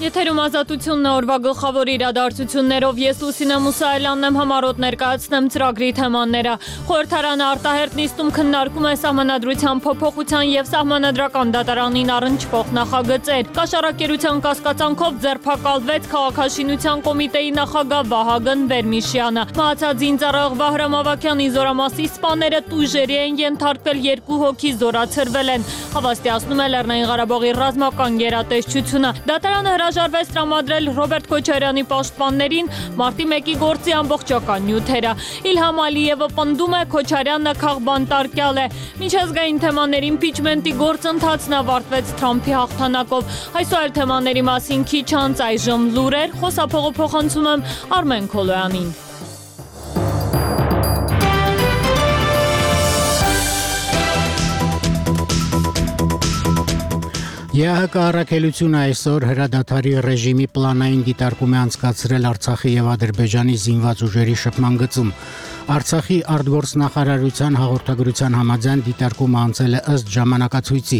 Եթերում ազատությունն է օրվա գլխավոր իրադարձություններով ես Լուսինե Մուսայելյանն եմ համառոտ ներկայացնեմ ծրագրի թեմաները։ Խորհրդարանը արտահերթ նիստում քննարկում է սահմանադրության փոփոխության եւ սահմանադրական դատարանին առնչվող նախագծեր։ Կաշառակերության կասկածանքով ձերբակալվեց քաղաքաշինության կոմիտեի նախագահ Վահագն Վերմիշյանը։ Մահացած զինծառայող Վահրամ Ավագյանի զորամասի սպաները տույժերի են ենթարկվել, 2 հոգի զորացրվել են։ Հավաստիացնում է Լեռնային Ղարաբաղի ռազմական գերատեսչությունը։ Դատարանը հրաժարվեց տրամադրել Ռոբերտ Քոչարյանի պաշտպաններին մարտի 1-ի գործի ամբողջական նյութերը։ Իլհամ Ալիևը պնդում է Քոչարյանը քաղբանտարկյալ է։ Միջազգային թեմաների իմպիչմենտի գործընթացն ավարտվեց Թրամփի հաղթանակով։ Այսօր այլ թեմաների մասին քիչ անց այժմ լուրեր, խոսափողը փոխանցում եմ Արմեն Քոլոյանին։ ԵԱՀԿ առաքելությունը այսօր հրադադարի ռեժիմի պլանային դիտարկում է անցկացրել Արցախի եւ Ադրբեջանի զինված ուժերի շփման գծում։ Արցախի արտգործնախարարության հաղորդագրության համաձայն դիտարկումը անցել է ըստ ժամանակացույցի,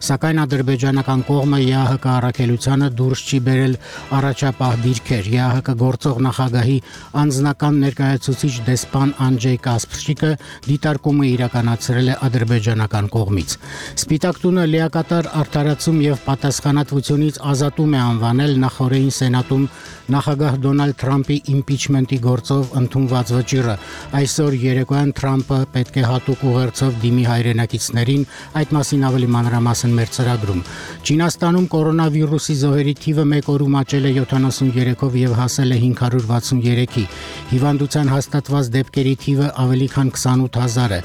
սակայն ադրբեջանական կողմը ԵԱՀԿ առաքելությանը դուրս չի բերել առաջապահ դիրքեր։ ԵԱՀԿ գործող նախագահի անձնական ներկայացուցիչ դեսպան Անջեյ Կասպրչիկը դիտարկումը իրականացրել է ադրբեջանական կողմից։ Սպիտակ տունը լիակատար արդարացում եւ պատասխանատվությունից ազատում է անվանել նախորդին սենատում նախագահ Դոնալդ Թրամփի իմպիչմենտի գործով ընդունված վճիռը։ Այսօր երեկոյան Թրամփը պետք է հատուկ ուղերձով դիմի հայրենակիցներին, այդ մասին ավելի մանրամասն մեր ծրագրում։ Չինաստանում կորոնավիրուսի զոհերի թիվը մեկ օրում աճել է 73-ով եւ հասել է 563-ի։ Հիվանդության հաստատված դեպքերի թիվը ավելի քան 28,000 է։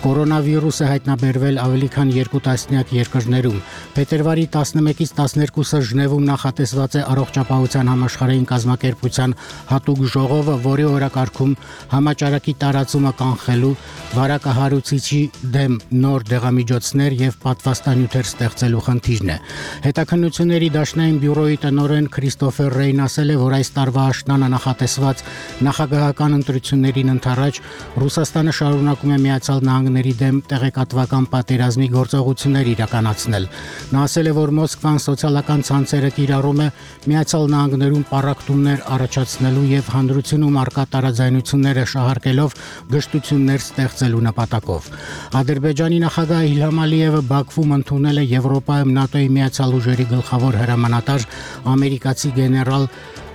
Կորոնավիրուսը հայտնաբերվել ավելի քան 2 տասնյակ երկրներում։ Փետրվարի 11-ից 12-ը Ժնևում նախատեսված է առողջապահության համաշխարհային կազմակերպության հատուկ ժողովը, որի օրակարգում համաճարակի տարածումը կանխելու, վարակահարուցիչի դեմ նոր դեղամիջոցներ եւ պատվաստանյութեր ստեղծելու խնդիրն է։ Հետաքննությունների դաշնային բյուրոյի տնօրեն Քրիստոֆեր Ռեյն ասել է, որ այս տարվա աշնանը նախատեսված նախագահական ընտրություններին ընդառաջ Ռուսաստանը շարունակում է Միացյալ Նահանգների դեմ տեղեկատվական պատերազմի գործողություններ իրականացնել։ Նա ասել է, որ Մոսկվան սոցիալական ցանցերը կիրառում է Միացյալ Նահանգներում պառակտումներ առաջացնելու եւ հանրությունում արկա տարաձայնությունները շահարկելով գժտություններ ստեղծելու նպատակով։ Ադրբեջանի նախագահ Իլհամ Ալիևը Բաքվում ընդունել է Եվրոպայում ՆԱՏՕ-ի միացյալ ուժերի գլխավոր հրամանատար ամերիկացի գեներալ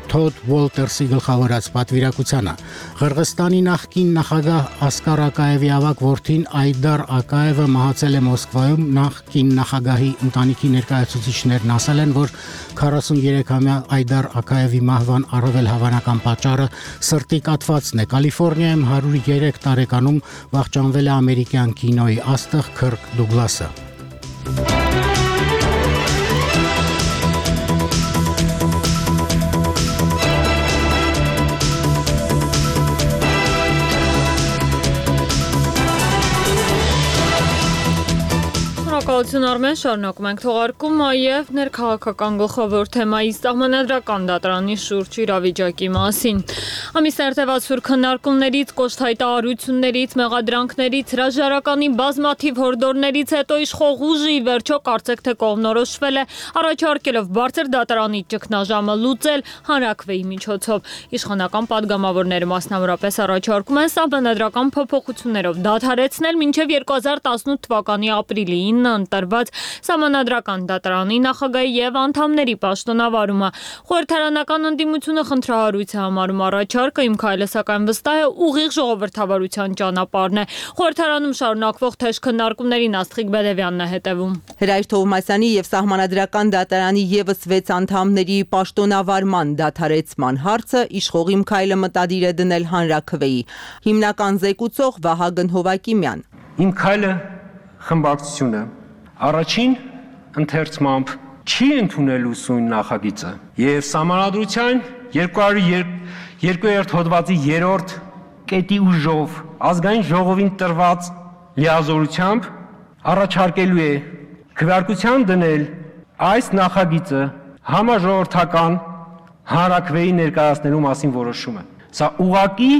Թոդ Ուոլտերսի գլխավորած պատվիրակությանը։ Ղրղստանի նախկին նախագահ Ասկար Ակաևի ավագ որդին Այդար Ակաևը մահացել է Մոսկվայում։ Նախկին նախագահի ընտանիքի ներկայացուցիչներն ասել են, որ 43-ամյա Այդար Ակաևի մահվան առավել հավանական պատճառը սրտի կաթվածն է։ Կալիֆոռնիայում 103 տարեկանում վախճանվել է ամերիկյան կինոյի աստղ Քըրկ Դուգլասը։ Շնորհակալություն Արմեն, շարունակում ենք թողարկումը եւ ներքաղաքական գլխավոր թեմայի սահմանադրական դատարանի շուրջ իրավիճակի մասին։ Ամիսներ տևած սուր քննարկումներից, կոշտ հայտարարություններից, մեղադրանքներից, հրաժարականի բազմաթիվ հորդորներից հետո իշխող ուժը ի վերջո կարծեք թե կողմնորոշվել է առաջարկելով բարձր դատարանի ճգնաժամը լուծել հանրաքվեի միջոցով։ Իշխանական падգամավորները մասնավորապես առաջարկում են սահմանադրական փոփոխություններով դադարեցնել մինչև 2018 թվականի ապրիլի 9-ը ընտրված սահմանադրական դատարանի նախագահի եւ անդամների պաշտոնավարումը։ Խորհրդարանական ընդդիմությունը խնդրահարույց է համարում առաջարկը, իմ քայլը սակայն վստահ է ուղիղ ժողովրդավարության ճանապարհն է։ Խորհրդարանում շարունակվող թեժ քննարկումներին Աստղիկ Բեդևյանն է հետևում։ Հրայր Թովմասյանի եւ սահմանադրական դատարանի եւս 6 անդամների պաշտոնավարման դադարեցման հարցը իշխող իմ քայլը մտադիր է դնել հանրաքվեի։ Հիմնական զեկուցող Վահագն Հովակիմյան։ Իմ քայլը խմբակցությունը առաջին ընթերցմամբ չի ընդունելու սույն նախագիծը եւ սահմանադրության 202-րդ հոդվածի 3-րդ կետի ուժով ազգային ժողովին տրված լիազորությամբ առաջարկելու է քվեարկության դնել այս նախագիծը համաժողովրդական հանրաքվեի ներկայացնելու մասին որոշումը։ Սա ուղղակի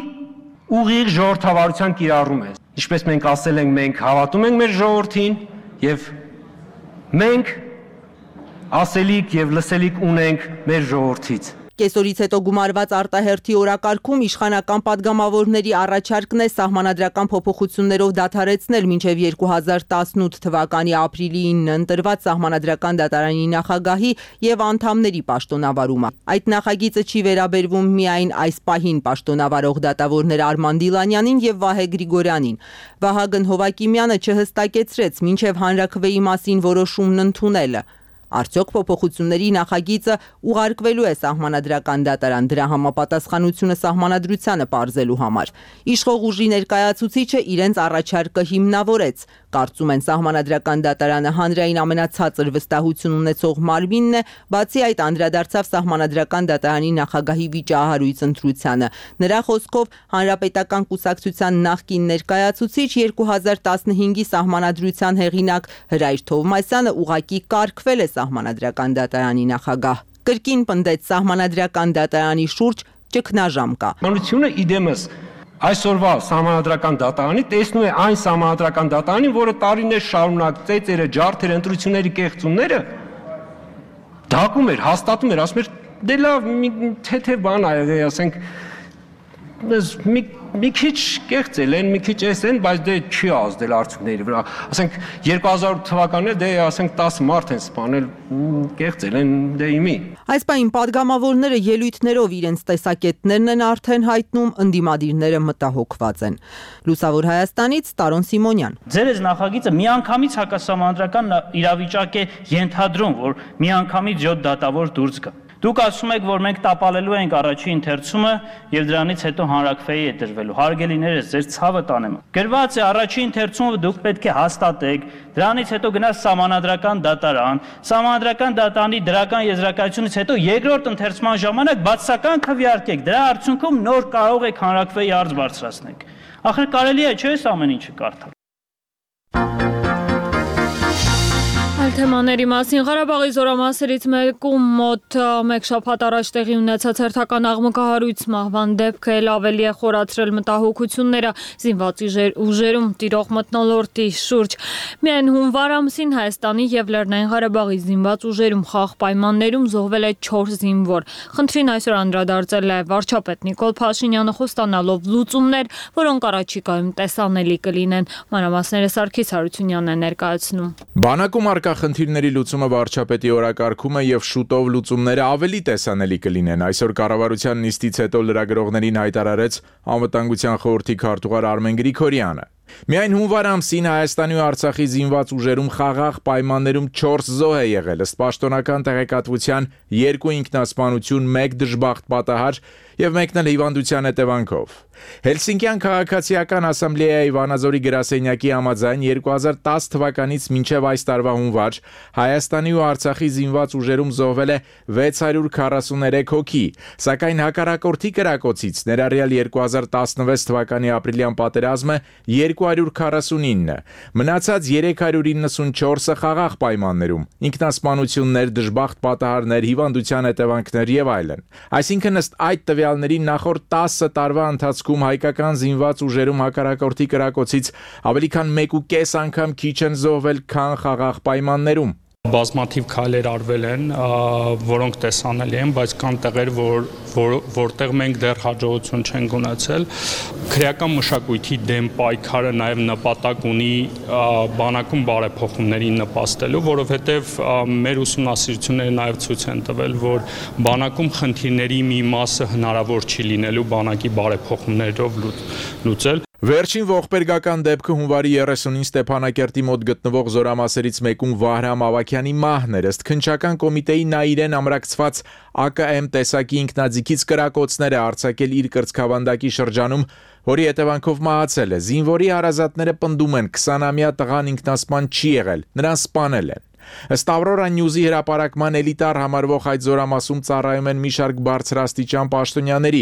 ուղիղ ժողովրդավարության կիրառում է։ Ինչպես մենք ասել ենք, մենք հավատում ենք մեր ժողովրդին եւ մենք ասելիք եւ լսելիք ունենք մեր ժողովրդից։ Կեսօրից հետո գումարված արտահերթի օրակարգում իշխանական падգամավորների առաջարկն է սահմանադրական փոփոխություններով դադարեցնել մինչև 2018 թվականի ապրիլի 9-ն ընտրված սահմանադրական դատարանի նախագահի եւ անդամների պաշտոնավարումը։ Այդ նախագիծը չի վերաբերվում միայն այս պահին պաշտոնավարող դատավորներ Արման Դիլանյանին եւ Վահե Գրիգորյանին։ Վահագն Հովակիմյանը չհստակեցրեց մինչև հանրաքվեի մասին որոշումն ընդունելը։ Արդյոք փոփոխությունների նախագիծը ուղարկվելու է սահմանադրական դատարան դրա համապատասխանությունը սահմանադրությանը պարզելու համար։ Իշխող ուժի ներկայացուցիչը իրենց առաջարկը հիմնավորեց։ Կարծում են սահմանադրական դատարանը հանրային ամենացածր վստահություն ունեցող մարմինն է, բացի այդ անդրադարձավ սահմանադրական դատարանի նախագահի վիճահարույց ընտրությանը։ Նրա խոսքով Հանրապետական կուսակցության նախկին ներկայացուցիչ 2015-ի սահմանադրության հեղինակ Հրայր Թովմասյանը ուղղակի կարգվել է սահմանադրական դատարանի նախագահ։ Կրկին պնդեց սահմանադրական դատարանի շուրջ ճգնաժամ կա։ Մանությունը իդեմս այսօրվա սահմանադրական դատարանի տեսնում է այն սահմանադրական դատարանին, որը տարիներ շարունակ ծեծերը, ջարդերը, ընտրությունների կեղծումները դակում էր, հաստատում էր, ասում էր դե լավ, թեթև բան ա, ասենք մի քիչ կեղծել են, մի քիչ էսեն, բայց դե չի ազդել արդյունքների վրա։ Ասենք 2000 թվականին դե ասենք 10 մարդ են սպանել, կեղծել են դե իմի։ Այս պահին падգամավորները ելույթներով իրենց տեսակետներն են արդեն հայտնում, ընդդիմադիրները մտահոգված են։ Լուսավոր Հայաստանից Տարոն Սիմոնյան։ Ձեր այս նախագիծը միանգամից հակասահմանադրական իրավիճակ է ենթադրում, որ միանգամից 7 դատավոր դուրս գա։ Դուք ասում եք, որ մենք տապալելու ենք առաջին ընթերցումը եւ դրանից հետո հանրաքվեի է դրվելու։ Հարգելիներս, ձեր ցավը տանեմ։ Գրված է առաջին ընթերցումը դուք պետք է հաստատեք, դրանից հետո գնաց սահմանադրական դատարան, սահմանադրական դատարանի դրական եզրակացությունից հետո երկրորդ ընթերցման ժամանակ բացասական քվեարկեք։ Դրա արդյունքում նոր կարող եք հանրաքվեի արժ բարձրացնել։ Ախր կարելի է չէ՞ այս ամեն ինչը կարդալ։ Թեմաների մասին Ղարաբաղի զորամասերից մեկում մոտ մեկ շաբաթ առաջ տեղի ունեցած հերթական աղմկահարույց մահվան դեպքը էլ ավելի է խորացրել մտահոգությունները զինված ուժերում տիրող մթնոլորտի շուրջ։ Միայն հունվար ամսին Հայաստանի եւ Լեռնային Ղարաբաղի զինված ուժերում խաղ պայմաններում զոհվել է 4 զինվոր։ Խնդրին այսօր անդրադարձել է վարչապետ Նիկոլ Փաշինյանը խոստանալով լուծումներ, որոնք առաջիկայում տեսանելի կլինեն։ Մանրամասները Սարգիս Հարությունյանն է ներկայացնում։ Բանակում արկա խնդիրների լուծումը վարչապետի օրակարգում է եւ շուտով լուծումները ավելի տեսանելի կլինեն։ Այսօր կառավարության նիստից հետո լրագրողներին հայտարարեց Անվտանգության խորհրդի քարտուղար Արմեն Գրիգորյանը։ Միայն հունվար ամսին Հայաստանի ու Արցախի զինված ուժերում խաղաղ պայմաններում 4 զոհ է եղել, ըստ պաշտոնական տեղեկատվության 2 ինքնասպանություն, 1 դժբախտ պատահար եւ մեկն էլ հիվանդության հետևանքով։ Հելսինկյան քաղաքացիական ասամբլեայի Վանաձորի գրասենյակի համաձայն 2010 թվականից մինչև այս տարվա հունվար Հայաստանի ու Արցախի զինված ուժերում զոհվել է 643 հոգի, սակայն հակառակորդի կրակոցից ներառյալ 2016 թվականի ապրիլյան պատերազմը 249, մնացած 394-ը խաղաղ պայմաններում, ինքնասպանություններ, դժբախտ պատահարներ, հիվանդության հետևանքներ եւ այլն։ Այսինքն ըստ այդ տվյալների նախորդ 10 տարվա ընթացքում հայկական զինված ուժերում հակառակորդի կրակոցից ավելի քան 1.5 անգամ քիչ են զոհվել, քան խաղաղ պայմաններում։ Բազմաթիվ քայլեր արվել են, որոնք տեսանելի են, բայց կան տեղեր, որտեղ մենք դեռ հաջողություն չենք ունեցել։ Քրեական մշակույթի դեմ պայքարը նաև նպատակ ունի բանակում բարեփոխումների նպաստելու, որովհետև մեր ուսումնասիրությունները նաև ցույց են տվել, որ բանակում խնդիրների մի մասը հնարավոր չի լինելու բանակի բարեփոխումներով լուծել։ Վերջին ողբերգական դեպքը հունվարի 30-ին Ստեփանակերտի մոտ գտնվող զորամասերից մեկում Վահրամ Ավագյանի մահն էր, ըստ քննչական կոմիտեի նա իրեն ամրակցված ԱԿՄ տեսակի ինքնաձիգից կրակոցներ է արձակել իր կրծքավանդակի շրջանում, որի հետևանքով մահացել է։ Զինվորի հարազատները պնդում են 20-ամյա տղան ինքնասպան չի եղել, նրան սպանել են։ Ըստ Ավրորա Նյուզի հրապարակման էլիտար համարվող այդ զորամասում ծառայում են մի շարք բարձրաստիճան պաշտոնյաների։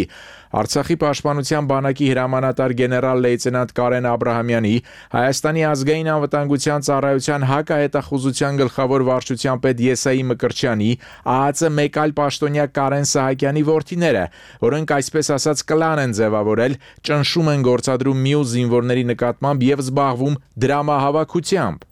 Արցախի պաշտպանության բանակի հրամանատար գեներալ լեյտենանտ Կարեն Աբրահամյանի, Հայաստանի ազգային անվտանգության ծառայության հակահետախուզության գլխավոր վարչության պետ Եսայի Մկրտչյանի, ԱԱԾ մեկ այլ պաշտոնյա Կարեն Սահակյանի որդիները, որոնք այսպես ասած կլան են ձևավորել, ճնշում են գործադրում մյուս զինվորների նկատմամբ եւ զբաղվում դրամահավաքությամբ։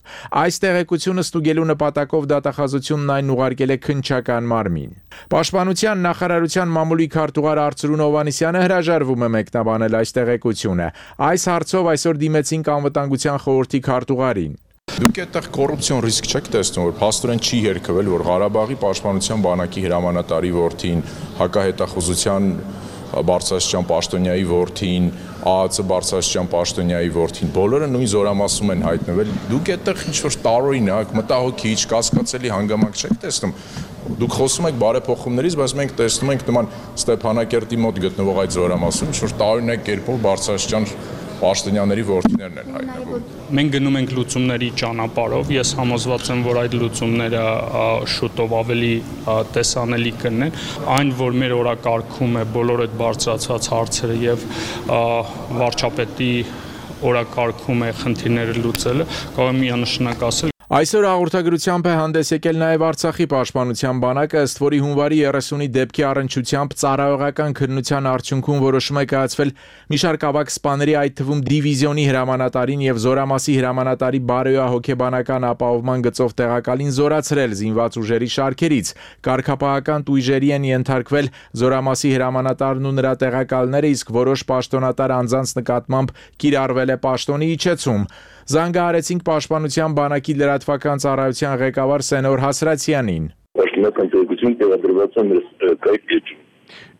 Այս տեղեկությունը ստուգելու նպատակով դատախազությունն այն ուղարկել է քննչական մարմին։ Պաշտպանության նախարարության մամուլի քարտուղար Արծրուն Հովհաննիսյանը հրաժարվում է մեկնաբանել այս տեղեկությունը։ Այս հարցով այսօր դիմեցինք անվտանգության խորհրդի քարտուղարին։ Դուք այդտեղ կոռուպցիոն ռիսկ չեք տեսնում, որ փաստորեն չի երգվել, որ Ղարաբաղի պաշտպանության բանակի հրամանատարի որդին, հակահետախուզության բարձրաստիճան պաշտոնյայի որդին, ԱԱՑ բարձրաստիճան պաշտոնյայի որդին, բոլորը նույն զորամասում են հայտնվել։ Դուք այդտեղ ինչ-որ տարօրինակ, մտահոգիչ, կասկածելի հանգամանք չեք տեսնում։ Դուք խոսում եք բարեփոխումներից, բայց մենք տեսնում ենք նման Ստեփանակերտի մոտ գտնվող այդ զորամասում ինչ-որ տարօրինակ կերպով բարձրաստիճան պաշտոնյաների որդիներն են հայտնվում։ Մենք գնում ենք լուծումների ճանապարհով, ես համոզված եմ, որ այդ լուծումները շուտով ավելի տեսանելի կլինեն, այն որ մեր օրակարգում է բոլոր այդ բարձրացված հարցերը եւ վարչապետի օրակարգում է խնդիրները լուծելը, կարող եմ միանշանակ ասել։ Այսօր հաղորդագրությամբ է հանդես եկել նաև Արցախի պաշտպանության բանակը, ըստ որի հունվարի 30-ի դեպքի առնչությամբ ծառայողական քննության արդյունքում որոշում է կայացվել մի շարք ավագ սպաների, այդ թվում դիվիզիոնի հրամանատարին եւ Զորամասի հրամանատարի բարոյահոգեբանական ապահովման գծով տեղակալին զորացրել զինված ուժերի շարքերից։ Կարգապահական տույժերի են ենթարկվել Զորամասի հրամանատարն ու նրա տեղակալները, իսկ որոշ պաշտոնատար անձանց նկատմամբ կիրառվել է պաշտոնի իջեցում։ Զանգահարեցինք պաշտպանության բանակի լրատվական ծառայության ղեկավար Սենոր Հասրացյանին։ Պաշտոնական տեղեկություն տեղադրված է մեր կայքեջում։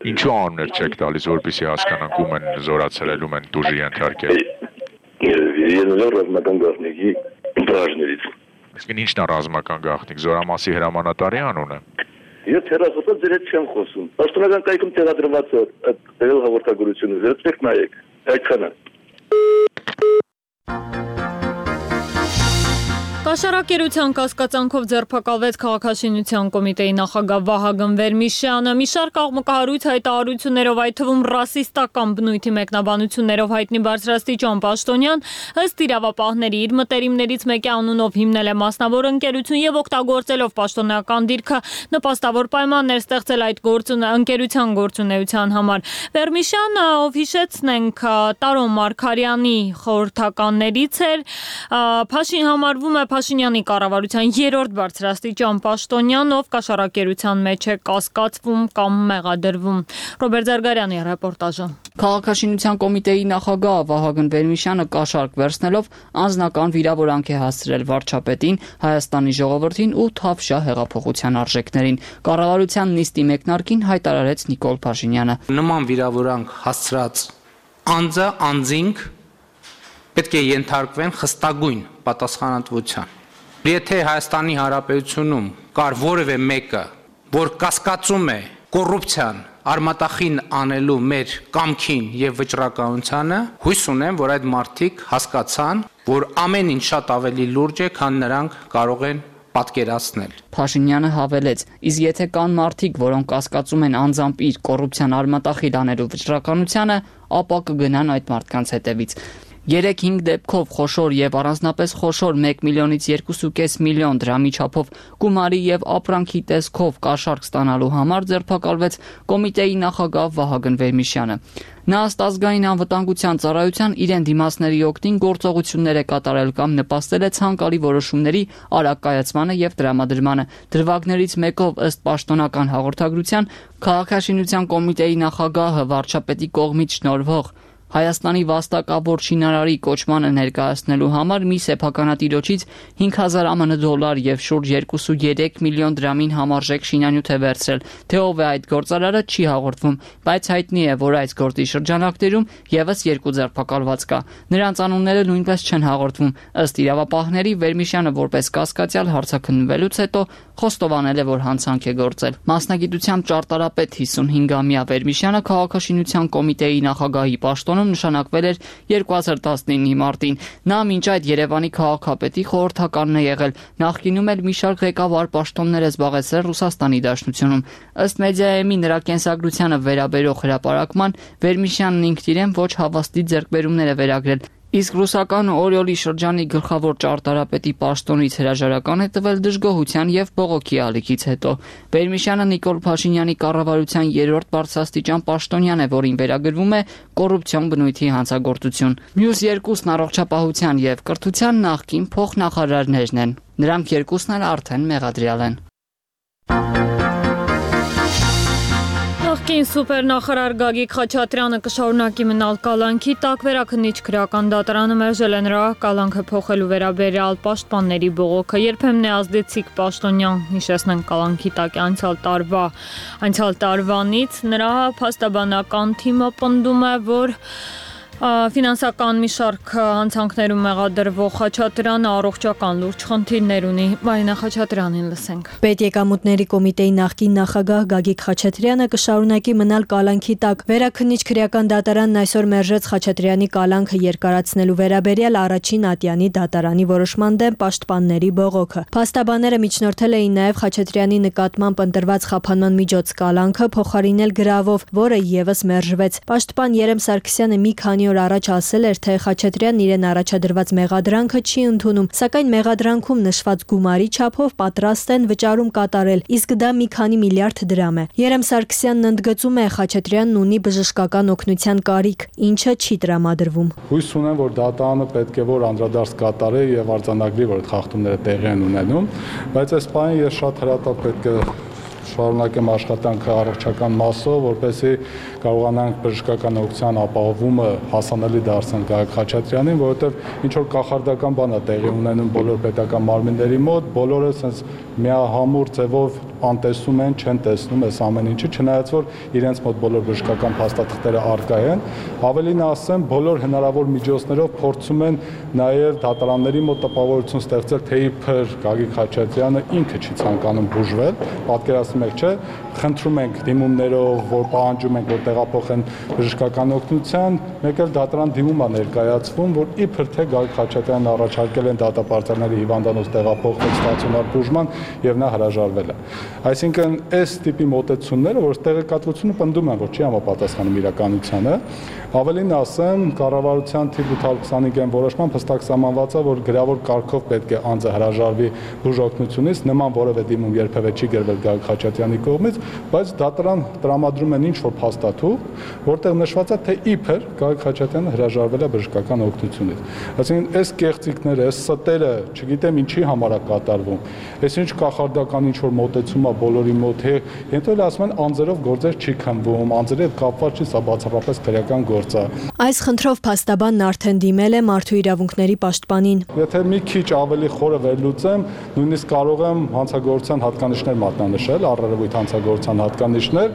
Ինչու անուններ չեք տալիս, որպեսզի հասկանանք ում են զորացրել, ում են տուժի ենթարկել։ Ռազմական գաղտնիքի բաժներից։ Իսկ ինչն է ռազմական գաղտնիք, Զորամասի հրամանատարի անունը։ Ես հեռախոսով ձեր հետ չեմ խոսում։ Պաշտոնական կայքում տեղադրված է այդ հաղորդագրությունը, վերցրեք նայեք։ Այդքանը։ Կաշառակերության կասկածանքով ձերբակալվեց Քաղաքաշինության կոմիտեի նախագահ Վահագն Վերմիշյանը։ Մի շարք աղմկահարույց հայտարարություններով, այդ թվում ռասիստական բնույթի մեկնաբանություններով հայտնի բարձրաստիճան պաշտոնյան, ըստ իրավապահների, իր մտերիմներից մեկի անունով հիմնել է մասնավոր ընկերություն եւ օգտագործելով պաշտոնական դիրքը նպաստավոր պայմաններ ստեղծել այդ ընկերության գործունեության համար։ Վերմիշյանը, ով հիշեցնենք, Տարոն Մարգարյանի խորհրդականներից էր, համարվում է Փաշինյանի կառավարության երրորդ բարձրաստիճան պաշտոնյան, ով կաշառակերության մեջ է կասկածվում կամ մեղադրվում։ Ռոբերտ Զարգարյանի ռեպորտաժը։ Քաղաքաշինության կոմիտեի նախագահ Վահագն Վերմիշյանը կաշառք վերցնելով անձնական վիրավորանք է հասցրել վարչապետին, Հայաստանի ժողովրդին ու Թավշյա հեղափոխության արժեքներին։ Կառավարության նիստի մեկնարկին հայտարարեց Նիկոլ Փաշինյանը։ Նման վիրավորանք հասցրած անձը անձինք պետք է ենթարկվեն խստագույն պատասխանատվության։ Եթե Հայաստանի Հանրապետությունում կար որևէ մեկը, որ կասկածում է կոռուպցիան արմատախին անելու մեր կամքին եւ վճռականությանը, հույս ունեմ, որ այդ մարդիկ հասկացան, որ ամեն ինչ շատ ավելի լուրջ է, քան նրանք կարող են պատկերացնել։ Փաշինյանը հավելեց. իսկ եթե կան մարդիկ, որոնք կասկածում են անձամբ իր կոռուպցիան արմատախիլ անելու վճռականությանը, ապա կգնան այդ մարդկանց հետևից։ 3-5 դեպքով խոշոր եւ առանձնապես խոշոր 1 միլիոնից 2.5 միլիոն դրամի չափով գումարի եւ ապրանքի տեսքով կաշառք ստանալու համար ձերբակալվեց կոմիտեի նախագահ Վահագն Վերմիշյանը։ Նա ըստ ազգային անվտանգության ծառայության իրեն դիմացների օգտին գործողություններ է կատարել կամ նպաստել է ցանկալի որոշումների արագ կայացմանը եւ տրամադրմանը։ Դրվագներից մեկով ըստ պաշտոնական հաղորդագրության Քաղաքաշինության կոմիտեի նախագահը վարչապետի կողմից շնորհվող Հայաստանի վաստակավոր շինարարի կոչմանը ներկայացնելու համար մի սեփականատիրոջից 5000 ԱՄՆ դոլար եւ շուրջ 2.3 միլիոն դրամին համարժեք շինանյութ է վերցրել։ Թե ով է այդ գործարարը չի հաղորդվում, բայց հայտնի է, որ այս գործի շրջանակներում եւս 2 ձերբակալված կա։ Նրանց անունները նույնպես չեն հաղորդվում։ Ըստ իրավապահների Վերմիշյանը որպես կասկածյալ հարցաքննվելուց հետո խոստովանել է, որ հանցանք է գործել։ Մասնագիտությամբ ճարտարապետ 55-ամյա Վերմիշյանը Քաղաքաշինության կոմիտեի նախագահի պաշտոնում նշանակվել էր 2019-ի մարտին։ Նա մինչ այդ Երևանի քաղաքապետի խորհրդականն է եղել, նախկինում էլ մի շարք ղեկավար պաշտոններ է զբաղեցրել Ռուսաստանի Դաշնությունում։ Ըստ Մեդիայեմի նրա կենսագրությանը վերաբերող հրապարակման Վերմիշյանն ինքն իրեն ոչ հավաստի ձեռքբերումներ է վերագրել։ Իսկ ռուսական Օրիոլի շրջանի գլխավոր ճարտարապետի պաշտոնից հրաժարական է տվել դժգոհության եւ բողոքի ալիքից հետո։ Վերմիշյանը Նիկոլ Փաշինյանի կառավարության 3-րդ բարձրաստիճան պաշտոնյան է, որին վերագրվում է կոռուպցիոն բնույթի հանցագործություն։ Մյուս երկուսն առողջապահության եւ կրթության նախկին փոխնախարարներն են։ Նրանք երկուսն էլ արդեն մեղադրյալ են։ Նախկին սուպերնախարար Գագիկ Խաչատրյանը կշարունակի մնալ կալանքի տակ, վերաքննիչ քրեական դատարանը մերժել է նրա կալանքը փոխելու վերաբերյալ պաշտպանների բողոքը։ Երբեմն է ազդեցիկ պաշտոնյան, հիշեցնենք կալանքի տակ անցյալ տարվանից նրա փաստաբանական թիմը պնդում է, որ ֆինանսական մի շարք հանցանքներում մեղադրվող Խաչատրյանը առողջական լուրջ խնդիրներ ունի։ Մարինա Խաչատրյանին լսենք։ Պետեկամուտների կոմիտեի նախկին նախագահ Գագիկ Խաչատրյանը կշարունակի մնալ կալանքի տակ։ Վերաքննիչ քրեական դատարանն այսօր մերժեց Խաչատրյանի կալանքը երկարացնելու վերաբերյալ առաջին ատյանի դատարանի որոշման դեմ պաշտպանների բողոքը։ Փաստաբանները միջնորդել էին նաև Խաչատրյանի նկատմամբ ընտրված խափանման միջոց կալանքը փոխարինել գրավով, որը եւս մերժվեց։ Պաշտպան Երեմ Սարգսյանը մի քանի օր առաջ ասել էր, թե Խաչատրյանն իրեն առաջադրված մեղադրանքը չի ընդունում, սակայն մեղադրանքում նշված գումարի չափով պատրաստ են վճարում կատարել, իսկ դա մի քանի միլիարդ դրամ է։ Երեմ Սարգսյանն ընդգծում է, Խաչատրյանն ունի բժշկական օգնության կարիք, ինչը չի տրամադրվում։ Հույս ունեմ, որ դատարանը պետք է որ անդրադարձ կատարի եւ արձանագրի, որ այդ խախտումները տեղի են ունենում, բայց այս բանը ես շատ հրատապ պետք է շարունակեմ աշխատանքը առողջական մասով, որպեսզի կարողանանք բժշկական օգնության ապահովումը հասանելի դարձնել Գագիկ Խաչատրյանին, որովհետև ինչ որ կախարդական բան է տեղի ունենում բոլոր պետական մարմինների մոտ, բոլորը sense միահամուռ ձևով անտեսում են, չեն տեսնում այս ամեն ինչը, չնայած որ իրենց մոտ բոլոր բժշկական փաստաթղթերը առկա են, ավելին ասեմ, բոլոր հնարավոր միջոցներով փորձում են նաև դատարանների մոտ տպավորություն ստեղծել, թե իբր Գագիկ Խաչատրյանը ինքը չի ցանկանում բուժվել, պատկերացնում եք, չէ, խնդրում ենք դիմումներով, որ պահանջում ենք, որ տեղափոխեն բժշկական օգնության, մեկ էլ դատարան դիմում է ներկայացվում, որ իբր թե Գագիկ Խաչատրյանն առաջարկել են դատապարտարների հիվանդանոց տեղափոխել ստացիոնար բուժման եւ նա հրաժարվել է։ Այսինքն այս տիպի մոտեցումները, որ տեղեկատվությունը պնդում են, որ չի համապատասխանում իրականությանը, ավելին ասեմ, կառավարության թիվ 825-ն որոշմամբ հստակ սահմանված է, որ գրավոր կարգով պետք է անձը հրաժարվի բուժօգնությունից, նման որևէ դիմում երբևէ չի գրվել Գագիկ Խաչատրյանի կողմից, բայց դատարան տրամադրում են ինչ-որ փաստաթուղթ, որտեղ նշված է, թե իբր Գագիկ Խաչատրյանը հրաժարվել է բժշկական օգնությունից։ Այսինքն այս կեղծիքները, այս ստերը, չգիտեմ ինչի համար է կատարվում, այսինչ կախարդական ինչ-որ մոտեցում է բոլորի մոտ, հետո էլ ասում են անձերով գործեր չի քննվում, անձերի հետ կապված չի, սա բացառապես քրեական գործ է։ Այս խնդրով փաստաբանն արդեն դիմել է Մարդու իրավունքների պաշտպանին։ Եթե մի քիչ ավելի խորը վերլուծեմ, նույնիսկ կարող եմ հանցագործության հատկանիշներ մատնանշել, առերևույթ հանցագործության հատկանիշներ,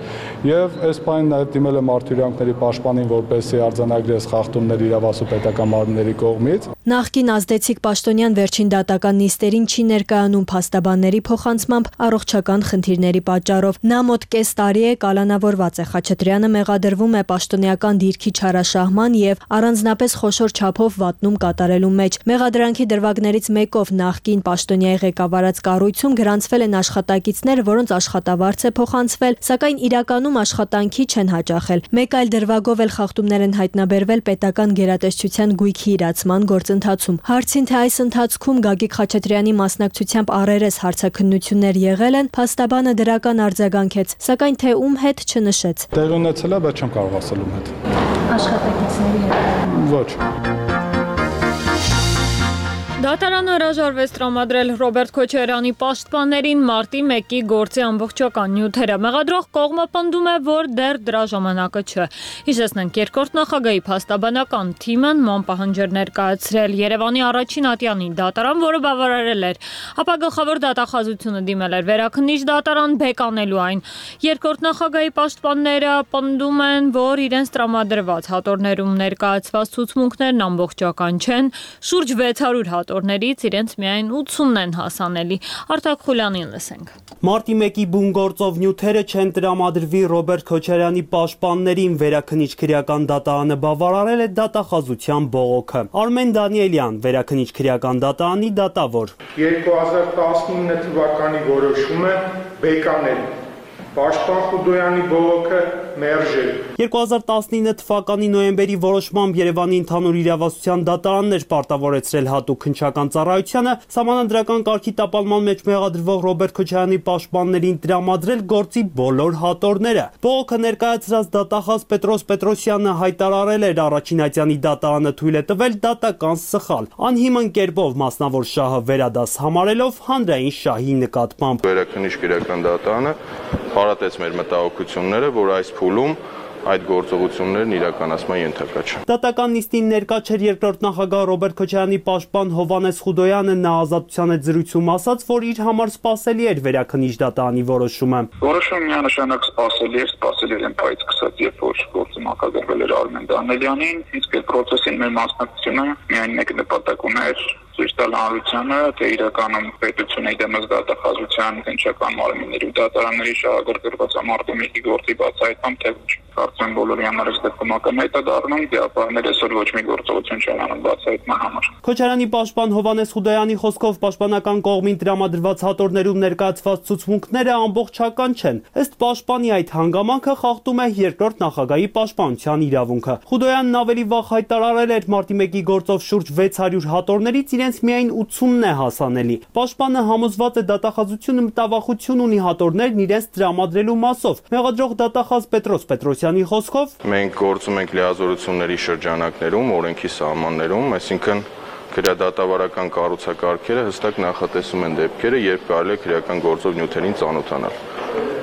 եւ այս բանին նաեւ դիմել է Մարդու իրավունքների պաշտպանին, որպեսզի արձանագրի այս խախտումները իրավասու պետական մարմինների կողմից։ Նախկին ազդեցիկ պաշտոնյան վերջին դատական նիստերին չի ներկայանում փաստաբանների փոխանցմամբ առողջական խնդիրների պատճառով։ Նա մոտ կես տարի է կալանավորված է։ Խաչատրյանը մեղադրվում է պաշտոնեական դիրքի չարաշահման եւ առանձնապես խոշոր չափով վատնում կատարելու մեջ։ Մեղադրանքի դրվագներից մեկով նախկին պաշտոնյայի ղեկավարած կառույցում գրանցվել են աշխատակիցներ, որոնց աշխատավարձ է փոխանցվել, սակայն իրականում աշխատանքի չեն հաճախել։ Մեկ այլ դրվագով էլ խախտումներ են հայտնաբերվել պետական գերատեսչության գույքի իրացման գործընթացում։ Հարցին, թե այս ընթացքում Գագիկ Խաչատրյանի մասնակցությամբ առերես հարցաքննություններ եղել են, փաստաբանը դրական արձագանքեց, սակայն թե ում հետ չնշեց։ Տեղի ունեցել է, բայց չեմ կարող ասել ում հետ։ Աշխատակիցների հետ։ Ոչ։ Դատարանը հրաժարվեց տրամադրել Ռոբերտ Քոչարյանի պաշտպաններին մարտի 1-ի գործի ամբողջական նյութերը։ Մեղադրող կողմը պնդում է, որ դեռ դրա ժամանակը չէ։ Հիշեցնենք, երկրորդ նախագահի փաստաբանական թիմը նման պահանջեր ներկայացրել Երևանի առաջին ատյանի դատարան, որը բավարարել էր, ապա գլխավոր դատախազությունը դիմել էր վերաքննիչ դատարան բեկանելու այն։ Երկրորդ նախագահի պաշտպանները պնդում են, որ իրենց տրամադրված հատորներում ներկայացված ցուցմունքներն ամբողջական չեն, շուրջ 600 հատորներից իրենց միայն 80-ն են հասանելի։ Արտակ Խուլյանին լսենք։ Մարտի 1-ի բուն գործով նյութերը չեն տրամադրվի Ռոբերտ Քոչարյանի պաշտպաններին, վերաքննիչ քրեական դատարանը բավարարել է դատախազության բողոքը։ Արմեն Դանիելյան, վերաքննիչ քրեական դատարանի դատավոր։ 2019 թվականի որոշումը բեկանել։ Պաշտպան Խուդոյանի բողոքը մերժել։ 2019 թվականի նոյեմբերի որոշմամբ Երևանի ընդհանուր իրավասության դատարանն էր պարտավորեցրել հատուկ քննչական ծառայությանը սահմանադրական կարգի տապալման մեջ մեղադրվող Ռոբերտ Քոչարյանի պաշտպաններին տրամադրել գործի բոլոր հատորները։ Բողոքը ներկայացրած դատախազ Պետրոս Պետրոսյանը հայտարարել էր առաջին ատյանի դատարանը թույլ է տվել դատական սխալ, անհիմն կերպով մասնավոր շահը վերադաս համարելով հանրային շահի նկատմամբ։ Վերաքննիչ քրեական դատարանը խորատեց մեր մտահոգությունները, որ այս փուլում այդ գործողություններն իրականացման ենթակա չեն։ Դատական նիստին ներկա չէր երկրորդ նախագահ Ռոբերտ Քոչարյանի պաշտպան Հովհաննես Խուդոյանը, նա ազատության հետ զրույցում ասաց, որ իր համար սպասելի էր վերաքննիչ դատարանի որոշումը։ Որոշումը միանշանակ սպասելի էր այն պայծ սկսած, երբ որ գործը նախաձեռնել էր Արմեն Դանիելյանին, իսկ այդ process-ին մեր մասնակցությունը միայն մեկ նպատակ ուներ ցույց տալ հանրությանը, թե իրականում պետությունը դեմս դատախազության քննչական մարմինների ու դատարանների շահագրգռված ամարտումների գործի բացահայտման թե ոչ։ Կարծեմ բոլորի համար այս դեպքում ակնհայտ է դառնում, դեպի այսօր ոչ մի գործողություն չեն անում բացահայտման համար։ Քոչարյանի պաշտպան Հովհաննես Խուդոյանի խոսքով պաշտպանական կողմին տրամադրված հատորներում ներկայացված ցուցմունքները ամբողջական չեն։ Ըստ պաշտպանի այդ հանգամանքը խախտում է երկրորդ նախագահի պաշտպանության իրավունքը։ Խուդոյանն ավելի վաղ հայտարարել էր մարտի 1-ի գործով շուրջ 600 հատորներից իրենց միայն 80-ն է հասանելի։ Պաշտպանը համոզված է դատախազությունը մտավախություն ունի հատորներն իրենց տրամադրելու մասով։ Մեղադրող դատախազ Պետրոս Պետրոսյանի խոսքով մենք գործում ենք լիազորությունների շրջանակներում, օրենքի սահմաններում, այսինքն քրեադատավարական կառուցակարգերը հստակ նախատեսում են դեպքերը, երբ կարելի է քրեական գործով նյութերին ծանոթանալ։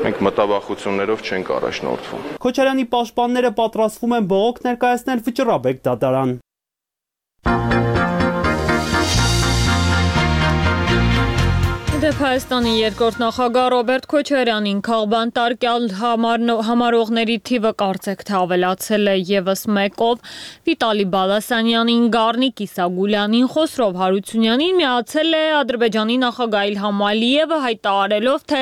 Մենք մտավախություններով չենք առաջնորդվում։ Քոչարյանի պաշտպանները պատրաստվում են բողոք ներկայացնել վճռաբեկ դատարան։ Հայաստանի երկրորդ նախագահ Ռոբերտ Քոչարյանին քաղբան տարկյալ համարողների թիվը կարծեք թե ավելացել է եւս մեկով, Վիտալի Բալասանյանին, Գառնիկ Իսագուլյանին, Խոսրով Հարությունյանին միացել է Ադրբեջանի նախագահ Իլհամ Ալիևը, հայտարարելով, թե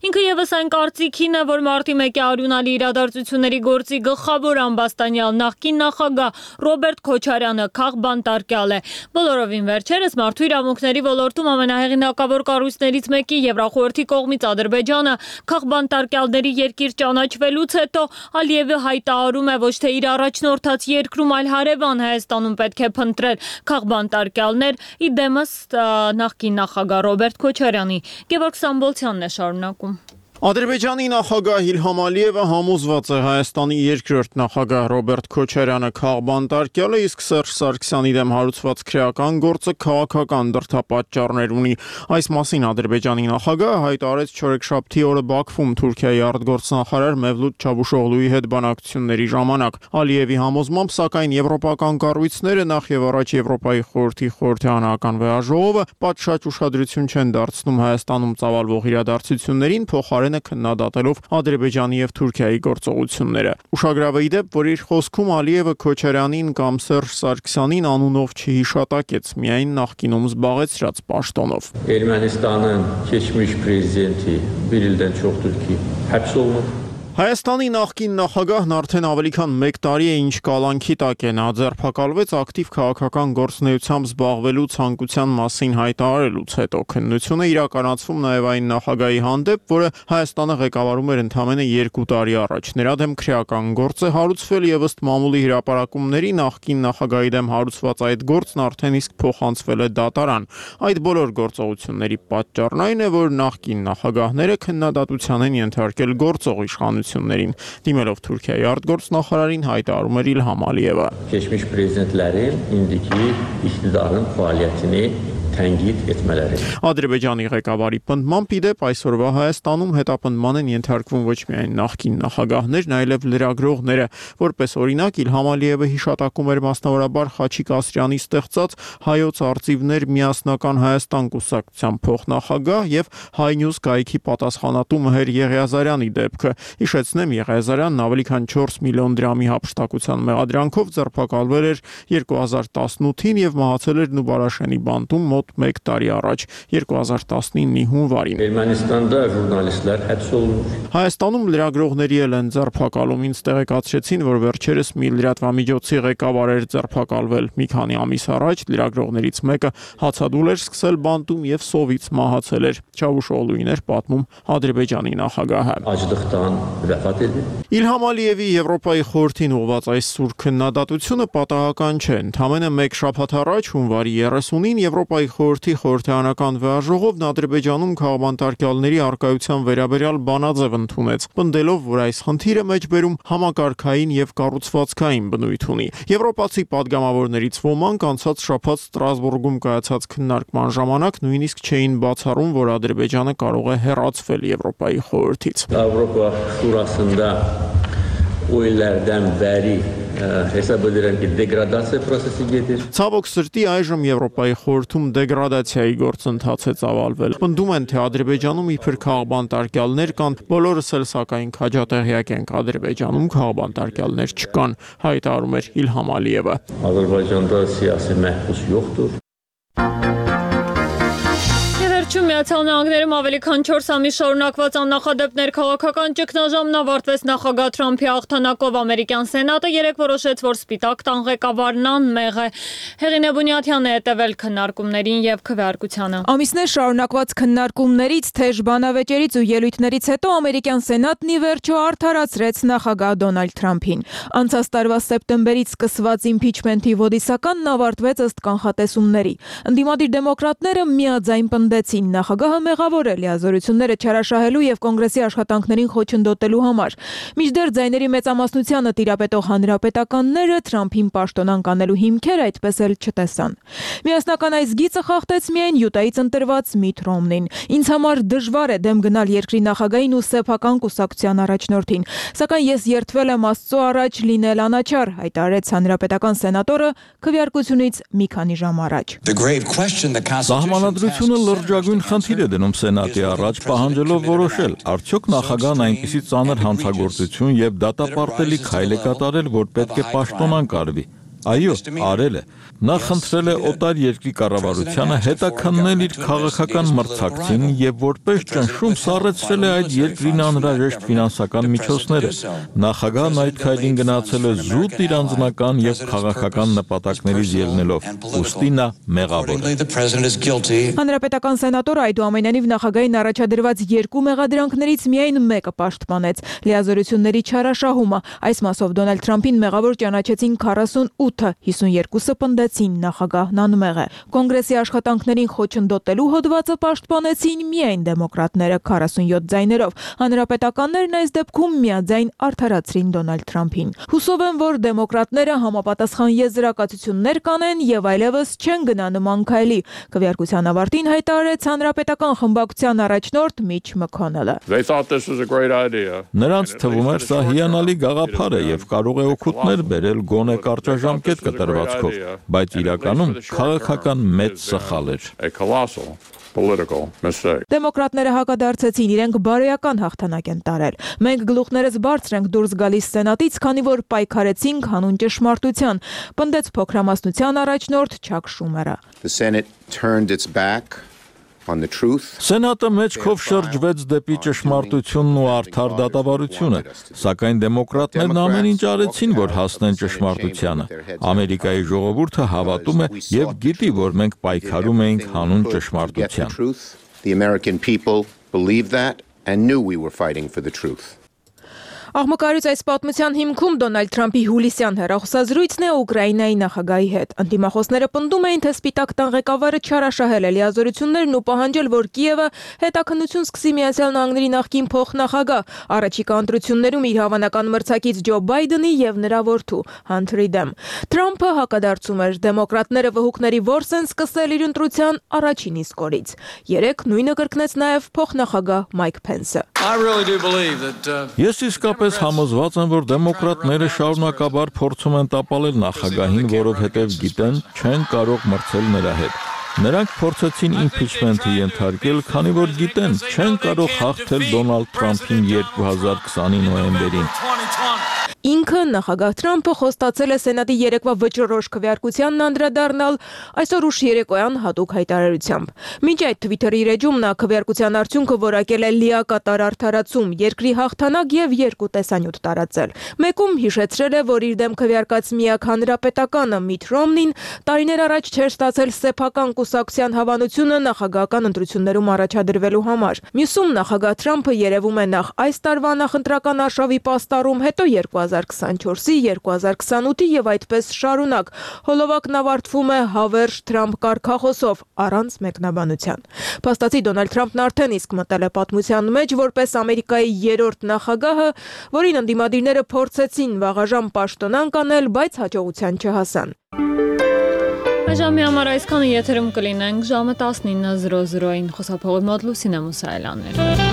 ինքը եւս այն կարծիքին է, որ մարտի 1-ի արյունալի իրադարձությունների գործի գլխավոր ամբաստանյալ նախկին նախագահ Ռոբերտ Քոչարյանը քաղբան տարկյալ է։ Բոլորովին վերջերս մարդու իրավունքների ոլորտում ամենահեղինակավոր կառույցներից մեկի Եվրախորհրդի կողմից Ադրբեջանը քաղբան տարկյալների երկիր ճանաչվելուց հետո Ալիևը հայտարարում է ոչ թե իր առաջնորդած երկրում, այլ հարևան Հայաստանում պետք է փնտրել քաղբան տարկյալներ, ի դեմս նախկին նախագահ Ռոբերտ Քոչարյանի։ Գևորգ Սամբոլցյանն է շարունակում։ Ադրբեջանի նախագահ Իլհամ Ալիևը համոզված է Հայաստանի երկրորդ նախագահ Ռոբերտ Քոչարյանը քաղբան տարկյալ է, իսկ Սերժ Սարգսյանի դեմ հարուցված քրեական գործը քաղաքական դրդապատճառներ ունի։ Այս մասին Ադրբեջանի նախագահը հայտարարեց չորեքշաբթի օրը Բաքվում Թուրքիայի արտգործնախարար Մևլութ Չավուշօղլուի հետ բանակցությունների ժամանակ։ Ալիևի համոզմամբ, սակայն եվրոպական կառույցները, նախ եւ առաջ Եվրոպայի խորհրդի խորհրդարանական վեաժողովը, պատշաճ ուշադրություն չեն դարձնում Հայաստանում ծավալվող իրադարձություններին, փոխարենը քննադատելով Ադրբեջանի եւ Թուրքիայի գործողությունները։ Ուշագրավ է ի դեպ, որ իր խոսքում Ալիևը Քոչարյանին կամ Սերժ Սարգսյանին անունով չհիշատակեց, միայն նախկինում զբաղեցրած պաշտոնով։ Ermənistanın keçmiş prezidenti bir ildən çoxdur ki, həbs olunub. Հայաստանի նախկին նախագահն արդեն ավելի քան 1 տարի է ինչ կալանքի տակ է, նա ձերբակալվեց ակտիվ քաղաքական գործունեությամբ զբաղվելու ցանկության մասին հայտարարելուց հետո։ Քննությունը իրականացվում նաև այն նախագահի հանդեպ, որը Հայաստանը ղեկավարում էր ընդամենը 2 տարի առաջ։ Նրա դեմ քրեական գործ է հարուցվել եւ ըստ մամուլի հրապարակումների նախկին նախագահի դեմ հարուցված այդ գործն արդեն իսկ փոխանցվել է դատարան։ Այդ բոլոր գործողությունների պատճառն այն է, որ նախկին նախագահները քննադատության են ենթարկել գործող իշխանություններին։ Դիմելով Թուրքիայի արտգործնախարարին հայտարարում էր Իլհամ Ալիևը. Keçmiş prezidentlərin indiki iqtidarın fəaliyyətini tənqid etmələri։ Ադրբեջանի ղեկավարի պնդմամբ ի դեպ այսօրվա Հայաստանում հետապնդման են ենթարկվում ոչ միայն նախկին նախագահներն, այլև լրագրողները, որպես օրինակ Իլհամ Ալիևը հիշատակում էր մասնավորաբար Խաչիկ Ասրյանի ստեղծած Հայոց արծիվներ միասնական Հայաստան կուսակցության փոխնախագահ եւ Հայնյուզ գայքի պատասխանատու Մհեր Եղիազարյանի դեպքը։ Հիշեցնեմ, Եղիազարյանն ավելի քան 4 միլիոն դրամի հափշտակության մեղադրանքով ձերբակալվել էր 2018-ին եւ մահացել էր Նուբարաշենի բանտում մոտ մոտ 1 տարի առաջ 2019-ի հունվարին։ Ermənistanda jurnalistlər həbs olunur. Հայաստանում լրագրողների էլ են ձերբակալում, ինձ տեղեկացրեցին, որ վերջերս մի լրատվամիջոցի ղեկավար էր ձերբակալվել։ Մի քանի ամիս առաջ լրագրողներից մեկը հացադուլ էր սկսել բանտում եւ սովից մահացել էր։ Չավուշօղլուին էր պատմում Ադրբեջանի նախագահը։ Acılıqdan vəfat edib. Իլհամ Ալիևի Եվրոպայի խորհրդին ուղղված այս սուր քննադատությունը պատահական չէ։ Ընդամենը մեկ շաբաթ առաջ հունվարի 30-ին Եվրոպայի խորհրդի խորհրդարանական վեաժողովն Ադրբեջանում քաղաքապետարների արկայության վերաբերյալ բանաձև ընդունեց, պնդելով, որ այս խնդիրը մեջբերում համակարգային եւ կառուցվածքային բնույթ ունի։ Եվրոպացի падգամավորներից ոմանք անցած շաբաթ Ստրասբուրգում կայացած քննարկման ժամանակ նույնիսկ չէին բացառում, որ Ադրբեջանը կարող է հեռացվել Եվրոպայի խորհրդից։ Avropa Şurasında o illərdən bəri hesab edirəm ki, deqradasiya prosesi gedir. Ցավոք սրտի այժմ Եվրոպայի խորհրդում դեգրադացիայի գործընթաց է ծավալվել։ Պնդում են, թե Ադրբեջանում իբր քաղաքապետարներ կան, բոլորս էլ սակայն քաջատեղյակ ենք, Ադրբեջանում քաղաքապետարներ չկան, հայտարարում էր Իլհամ Ալիևը։ Azərbaycanda siyasi məhbus yoxdur. Միացյալ Նահանգներում ավելի քան 4 ամիս շարունակված աննախադեպ քաղաքական ճգնաժամն ավարտվեց նախագահ Թրամփի հաղթանակով։ Ամերիկյան Սենատը երեկ որոշեց, որ Սպիտակ տան ղեկավարն անմեղ է։ Հեղինե Բունյաթյանը հետևել քննարկումներին եւ քվեարկությանը։ Ամիսներ շարունակված քննարկումներից, թեժ բանավեճերից ու ելույթներից հետո ամերիկյան Սենատն ի վերջո արդարացրեց նախագահ Դոնալդ Թրամփին։ Անցած տարվա սեպտեմբերից սկսված իմփիչմենթի ոդիսականն ավարտվեց ըստ կանխատեսումների։ Ընդդիմադիր դեմոկրատները միաձայն պնդեցին նախագահը մեղավոր է լիազորությունները չարաշահելու եւ կոնգրեսի աշխատանքներին խոչընդոտելու համար։ Մինչդեռ ձայների մեծամասնությանը տիրապետող հանրապետականները Թրամփին պաշտոնանկ անելու հիմքեր այդպես էլ չտեսան։ Միասնական այս գիծը խախտեց միայն Յուտայից ընտրված Միթ Ռոմնին։ Ինձ համար դժվար է դեմ գնալ երկրի նախագահին ու սեփական կուսակցության առաջնորդին, սակայն ես երդվել եմ Աստծո առաջ լինել անաչառ, հայտարարեց հանրապետական սենատորը քվեարկությունից մի քանի ժամ առաջ։ Սահմանադրությունը լրջագույն խնդիր է դնում Սենատի առաջ, պահանջելով որոշել, արդյոք նախագահն այնպիսի ծանր հանցագործություն եւ դատապարտելի քայլ է կատարել, որ պետք է պաշտոնանկ արվի։ Այո, արել է։ Նա խնդրել է օտար երկրի կառավարությանը հետաքննել իր քաղաքական մրցակցին եւ որպես ճնշում սառեցրել է այդ երկրին անհրաժեշտ ֆինանսական միջոցները։ Նախագահն այդ քայլին գնացել է զուտ իր անձնական եւ քաղաքական նպատակներից ելնելով։ Ուստի նա մեղավոր է։ Հանրապետական սենատորը այդուամենայնիվ նախագահին առաջադրված երկու մեղադրանքներից միայն մեկը պաշտպանեց՝ լիազորությունների չարաշահումը։ Այս մասով Դոնալդ Թրամփին մեղավոր ճանաչեցին 48-ը, 52-ը պնդեցին նախագահն անմեղ է։ Կոնգրեսի աշխատանքներին խոչընդոտելու հոդվածը պաշտպանեցին միայն դեմոկրատները 47 ձայներով։ Հանրապետականներն այս դեպքում միաձայն արդարացրին Դոնալդ Թրամփին։ Հուսով եմ, որ դեմոկրատները համապատասխան եզրակացություններ կանեն եւ այլևս չեն գնա նման քայլի։ Քվեարկության ավարտին հայտարարեց հանրապետական խմբակցության առաջնորդ Միչ Մքոնելը։ Նրանց թվում էր սա հիանալի գաղափար է եւ կարող է օգուտներ բերել գոնե կարճաժամկետ կտրվածքով, բայց իրականում քաղաքական մեծ սխալ էր։ Դեմոկրատները հակադարձեցին, իրենք բարոյական հաղթանակ են տարել։ Մենք գլուխներս բարձր ենք դուրս գալիս Սենատից, քանի որ պայքարեցինք հանուն ճշմարտության, պնդեց փոքրամասնության առաջնորդ Չակ Շումերը։ Սենատը մեջքով շրջվեց դեպի ճշմարտությունն ու արդար դատավարությունը, սակայն դեմոկրատներն ամեն ինչ արեցին, որ հասնեն ճշմարտությանը։ Ամերիկայի ժողովուրդը հավատում է եւ գիտի, որ մենք պայքարում էինք հանուն ճշմարտության։ Աղմկարից այս պատմության հիմքում Դոնալդ Թրամփի հուլիսյան հեռախոսազրույցն է Ուկրաինայի նախագահի հետ։ Ընդդիմախոսները պնդում էին, թե Սպիտակ տան ղեկավարը չարաշահել է լիազորություններն ու պահանջել, որ Կիևը հետաքննություն սկսի Միացյալ Նահանգների նախկին փոխնախագահ առաջիկա ընտրություններում իր հավանական մրցակից Ջո Բայդենի եւ նրա որդու Հանթերի դեմ։ Թրամփը հակադարձում էր, դեմոկրատները վհուկների որս են սկսել իր ընտրության առաջին իսկ օրից։ Երեկ նույնը կրկնեց նաեւ փոխնախագահ Մայք Փենսը։ Ես իսկապես համոզված եմ, որ դեմոկրատները շարունակաբար փորձում են տապալել նախագահին, որովհետև գիտեն չեն կարող մրցել նրա հետ։ Նրանք փորձեցին իմփիչմենթի ենթարկել, քանի որ գիտեն չեն կարող հաղթել Դոնալդ Թրամփին 2020-ի նոյեմբերին։ ինքը նախագահ Թրամփը խոստացել է Սենատի երեկվա վճռորոշ քվեարկությանն անդրադառնալ այսօր ուշ երեկոյան հատուկ հայտարարությամբ։ Մինչ այդ Twitter-ի իր էջում նա քվեարկության արդյունքը որակել է լիակատար արդարացում, երկրի հաղթանակ եւ երկու տեսանյութ տարածել։ Մեկում հիշեցրել է, որ իր դեմ քվեարկած միակ հանրապետականը Միթ Ռոմնին տարիներ առաջ չէր ստացել սեփական կուսակցության հավանությունը նախագահական ընտրություններում առաջադրվելու համար։ Մյուսում նախագահ Թրամփը երևում է նախ այս տարվա նախընտրական արշավի պաստառում, հետո 2024-ի, 2028-ի եւ այդպես շարունակ։ Հոլովակն ավարտվում է հավերժ Թրամփ կարգախոսով առանց մեկնաբանության։ Փաստացի Դոնալդ Թրամփն արդեն իսկ մտել է պատմության մեջ որպես Ամերիկայի երրորդ նախագահը, որին ընդդիմադիրները փորձեցին վաղաժամ պաշտոնանկ անել, բայց հաջողության չհասան։ Այժմ համար այսքանը եթերում կլինենք ժամը 19:00-ին խոսափողի մոտ Լուսինե Մուսայելյանն էր։